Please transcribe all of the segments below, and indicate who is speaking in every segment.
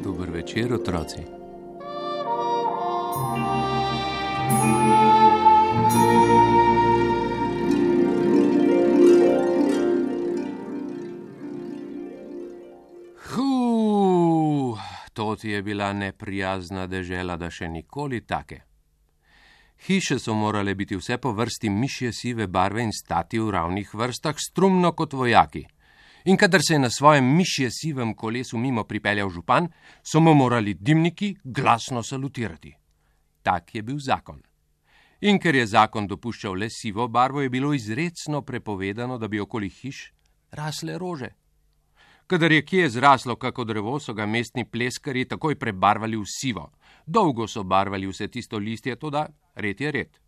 Speaker 1: Dober večer, otroci. To ti je bila neprijazna dežela, da še nikoli take. Hiše so morale biti vse po vrsti mišje sive barve in stati v ravnih vrstah, strumno kot vojaki. In kadar se je na svojem mišje sivem kolesu mimo pripeljal župan, so mu morali dimniki glasno salutirati. Tak je bil zakon. In ker je zakon dopuščal le sivo barvo, je bilo izrecno prepovedano, da bi okoli hiš rasle rože. Kadar je kje zraslo kako drevo, so ga mestni pleskarji takoj prebarvali v sivo. Dolgo so barvali vse tisto listje, toda red je red.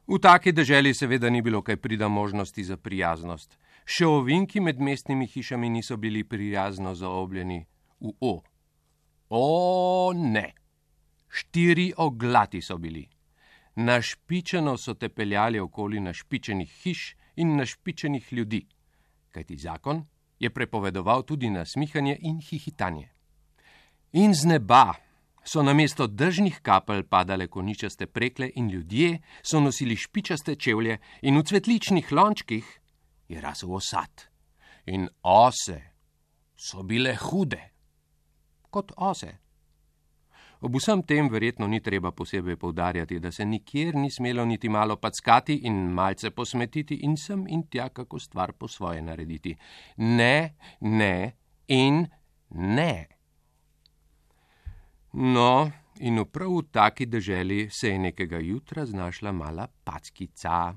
Speaker 1: V taki deželi seveda ni bilo kaj prida možnosti za prijaznost. Še ovinki med mestnimi hišami niso bili prijazno zaobljeni v O. O, ne! 4 oglati so bili. Našpičeno so te peljali okoli našpičenih hiš in našpičenih ljudi, kajti zakon je prepovedoval tudi nasmihanje in hihitanje. In z neba so namesto dežnih kapelj padale koničaste prekle in ljudje so nosili špičaste čevlje in v cvetličnih lončkih je rasel osad. In ose so bile hude, kot ose. Ob vsem tem verjetno ni treba posebej poudarjati, da se nikjer ni smelo niti malo packati in malce posmetiti in sem in tja kako stvar po svoje narediti. Ne, ne in ne. No, in prav v taki deželi se je nekega jutra znašla mala packica.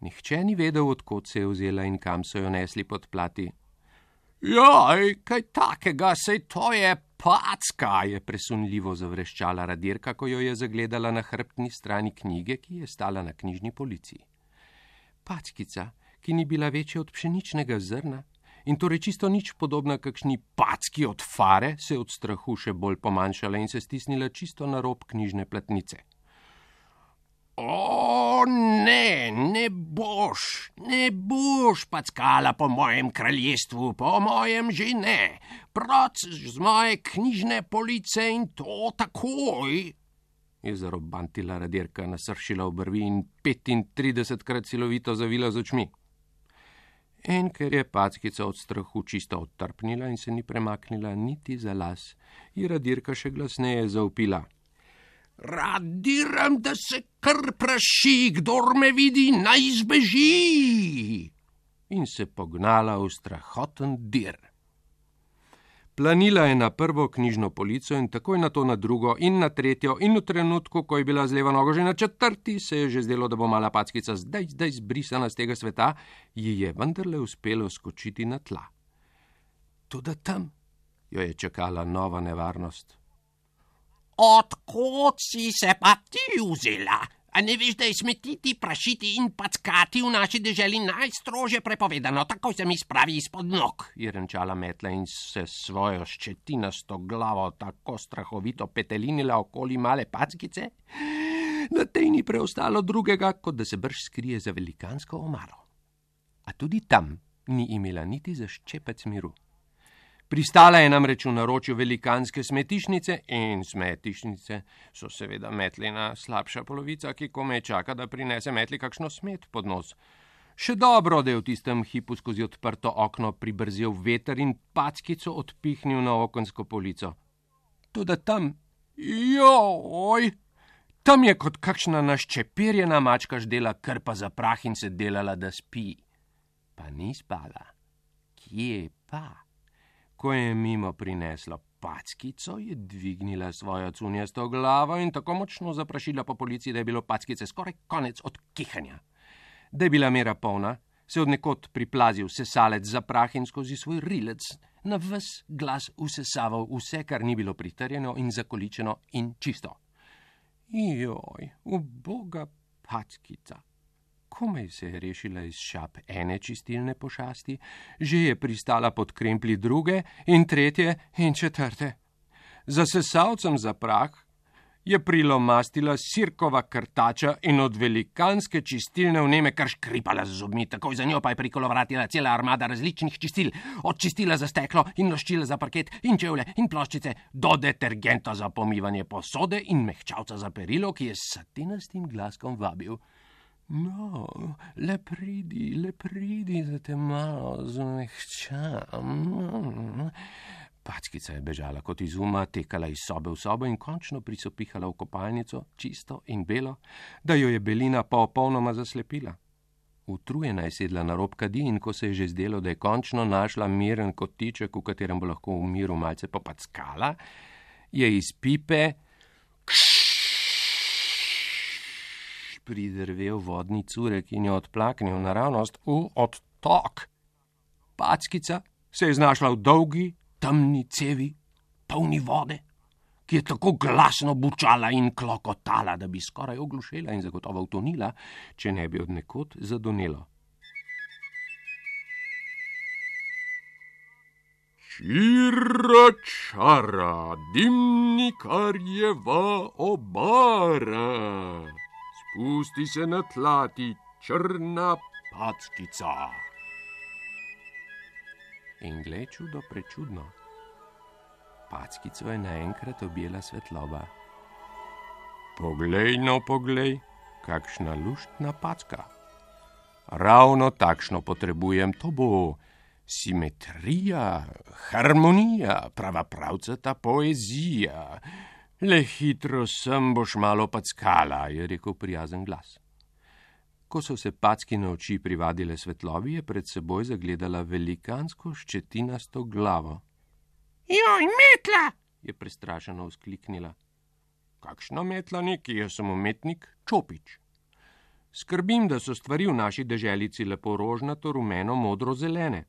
Speaker 1: Nihče ni vedel, od kod se je vzela in kam so jo nesli pod plati. Jaj, kaj takega, sej to je packa, je presunljivo zavreščala Radirka, ko jo je zagledala na hrbtni strani knjige, ki je stala na knjižni polici. Packica, ki ni bila večja od pšeničnega zrna in torej čisto nič podobna kakšni packi od fare, se je od strahu še bolj pomanjšala in se stisnila čisto na rob knjižne platnice. O, ne boš packala po mojem kraljestvu, po mojem že ne. Proc z moje knjižne police in to takoj, je zarobantila Radirka, nasršila obrvi in 35krat silovito zavila z očmi. In ker je packica od strahu čisto odtrpnila in se ni premaknila niti za las, je Radirka še glasneje zavpila. Radiram, da se kar praši, kdor me vidi, naj zbeži! In se pognala v strahoten dir. Planila je na prvo knjižno polico in takoj na to na drugo in na tretjo in v trenutku, ko je bila z levo nogo že na 4., se je že zdelo, da bo mala packica zdaj zbrisana z tega sveta, ji je vendarle uspelo skočiti na tla. Toda tam jo je čakala nova nevarnost. Odkot si se pa ti vzela? A ne veš, da je smetiti, prašiti in packati v naši deželi najstrože prepovedano, tako se mi spravi izpod nog, je renčala Metla in se svojo ščetinasto glavo tako strahovito petelinila okoli male packice, da tej ni preostalo drugega, kot da se brž skrije za velikansko omaro. A tudi tam ni imela niti za ščepec miru. Pristala je namreč v naročju velikanske smetišnice in smetišnice so seveda Metlina slabša polovica, ki komaj čaka, da prinese Metli kakšno smet pod nos. Še dobro, da je v tistem hipu skozi odprto okno pribrzel veter in packico odpihnil na okensko polico. Toda tam, tam je kot kakšna naščepirjena mačka ždela krpa za prah in se delala, da spi. Pa ni spala. Kje pa? Ko je mimo prineslo packico, je dvignila svojo cunjasto glavo in tako močno zaprašila po polici, da je bilo packice skoraj konec od kihanja. Da je bila mera polna, se od nekod priplazil sesalec za prah in skozi svoj rilec na ves glas usesaval vse, kar ni bilo pritrjeno in zakoličeno in čisto. Joj, uboga packica. Komaj se je rešila iz šap ene čistilne pošasti, že je pristala pod kremplji druge in tretje in četrte. Za sesalcem za prah je prilomastila sirkova krtača in od velikanske čistilne vneme kar škripala z zobmi, takoj za njo pa je prikolovratila cela armada različnih čistil, od čistila za steklo in loščila za parket in čevlje in ploščice do detergenta za pomivanje posode in mehčavca za perilo, ki je s satinastim glaskom vabil: No, le pridi, da te malo zmehčam. Packica je bežala kot iz uma, tekala iz sobe v sobo in končno prisopihala v kopalnico, čisto in belo, da jo je belina popolnoma zaslepila. Utrujena je sedla na rob kadi in ko se je že zdelo, da je končno našla miren kotiček, v katerem bo lahko v miru malce popackala, je iz pipe pridrvel vodni curek in jo odplaknil naravnost v odtok. Packica se je znašla v dolgi, temni cevi, polni vode, ki je tako glasno bučala in klokotala, da bi skoraj oglušela in zagotovo utonila, če ne bi od nekod zadonelo. Čira čara, dimnikarjeva obara, spusti se na tlati črna packica. In glej čudo prečudno, packico je naenkrat objela svetloba. Poglej, no poglej, kakšna luštna packa. Ravno takšno potrebujem, to bo simetrija, harmonija, prava pravcata poezija. Le hitro sem boš malo packala, je rekel prijazen glas. Ko so se packine oči privadile svetlobi, je pred seboj zagledala velikansko ščetinasto glavo. Joj, metla! Je prestrašeno vzkliknila. Kakšna metla neki, jaz sem umetnik Čopič. Skrbim, da so stvari v naši deželici lepo rožnato, rumeno, modro, zelene.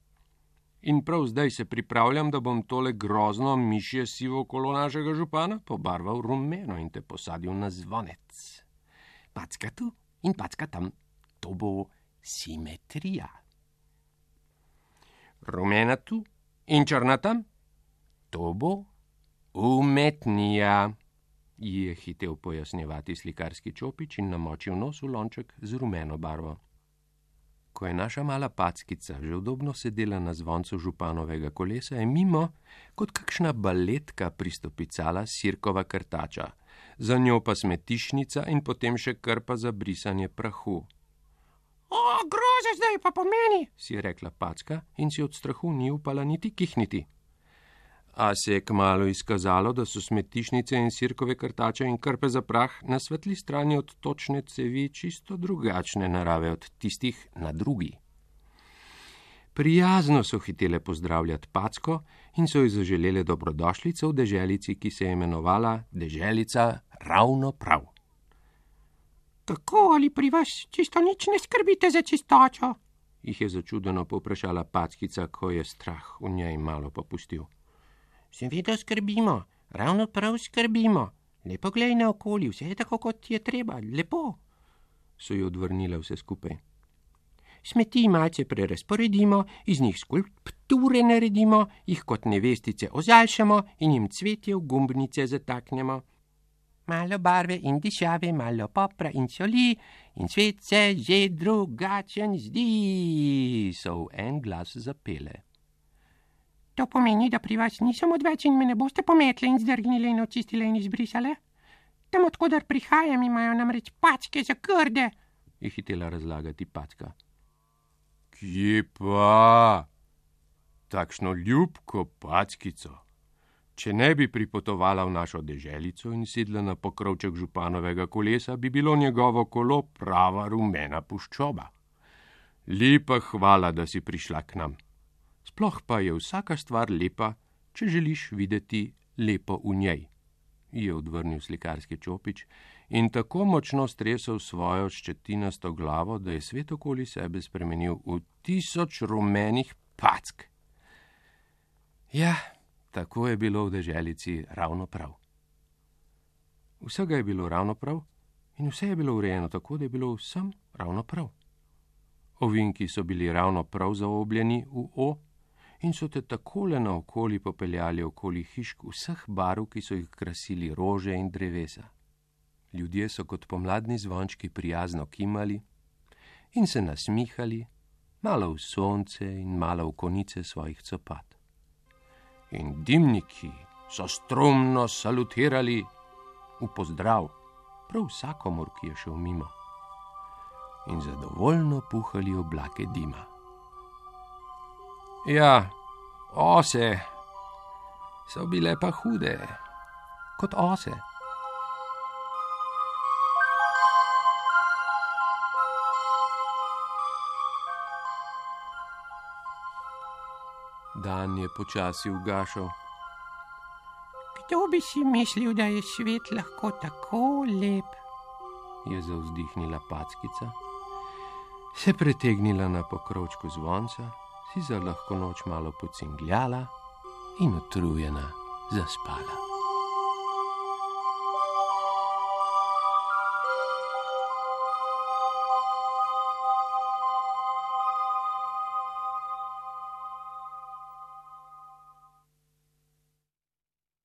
Speaker 1: In prav zdaj se pripravljam, da bom tole grozno mišje sivo kolo našega župana pobarval rumeno in te posadil na zvonec. Packa tu in packa tam. To bo simetrija. Rumena tu in črna tam. To bo umetnija, ji je hitel pojasnjevati slikarski Čopič in namočil nos v lonček z rumeno barvo. Ko je naša mala packica že udobno sedela na zvoncu županovega kolesa, je mimo kot kakšna baletka pristopicala sirkova krtača, za njo pa smetišnica in potem še krpa za brisanje prahu. O, groza zdaj pa pomeni, si je rekla packa in si od strahu ni upala niti kihniti. A se je kmalu izkazalo, da so smetišnice in sirkove krtače in krpe za prah na svetli strani od točne cevi čisto drugačne narave od tistih na drugi. Prijazno so hitele pozdravljati packo in so ji zaželele dobrodošlico v deželici, ki se je imenovala Deželica ravno prav. Tako ali pri vas čisto nič ne skrbite za čistočo? Jih je začudeno povprašala packica, ko je strah v njej malo popustil. Seveda skrbimo, ravno prav skrbimo. Lepo glej naokoli, vse je tako, kot je treba, lepo, so ji odvrnile vse skupaj. Smeti malce prerazporedimo, iz njih skulpture naredimo, jih kot nevestice ozaljšamo in jim cvetje v gumbnice zataknemo. Malo barve in dišave, malo popra in soli in svet se že drugačen zdi, so v en glas zapele. To pomeni, da pri vas nisem odveč in me ne boste pometle in zdrgnile in očistile in izbrisale? Tam, odkudar prihajam, imajo namreč packe za krde, je hitela razlagati packa. Kje pa? Takšno ljubko packico. Če ne bi pripotovala v našo deželico in sedla na pokrovček županovega kolesa, bi bilo njegovo kolo prava rumena puščoba. Lepa hvala, da si prišla k nam. Sploh pa je vsaka stvar lepa, če želiš videti lepo v njej, je odvrnil slikarski Čopič in tako močno stresel svojo ščetinasto glavo, da je svet okoli sebe spremenil v 1000 rumenih pack. Ja, tako je bilo v deželici ravno prav. Vsega je bilo ravno prav in vse je bilo urejeno tako, da je bilo vsem ravno prav. Ovinki so bili ravno prav zaobljeni v O in so te takole naokoli popeljali okoli hišk vseh barv, ki so jih krasili rože in drevesa. Ljudje so kot pomladni zvončki prijazno kimali in se nasmihali, malo v sonce in malo v konice svojih copat. In dimniki so strumno salutirali v pozdrav prav vsakomur, ki je šel mimo, in zadovoljno puhali oblake dima. Ja, ose so bile pa hude, kot ose. Dan je počasi ugašal.
Speaker 2: Kdo bi si mislil, da je svet lahko tako lep?
Speaker 1: Je zavzdihnila Packica, se pretegnila na pokrovčku zvonca, si za lahko noč malo pocingljala in utrujena zaspala.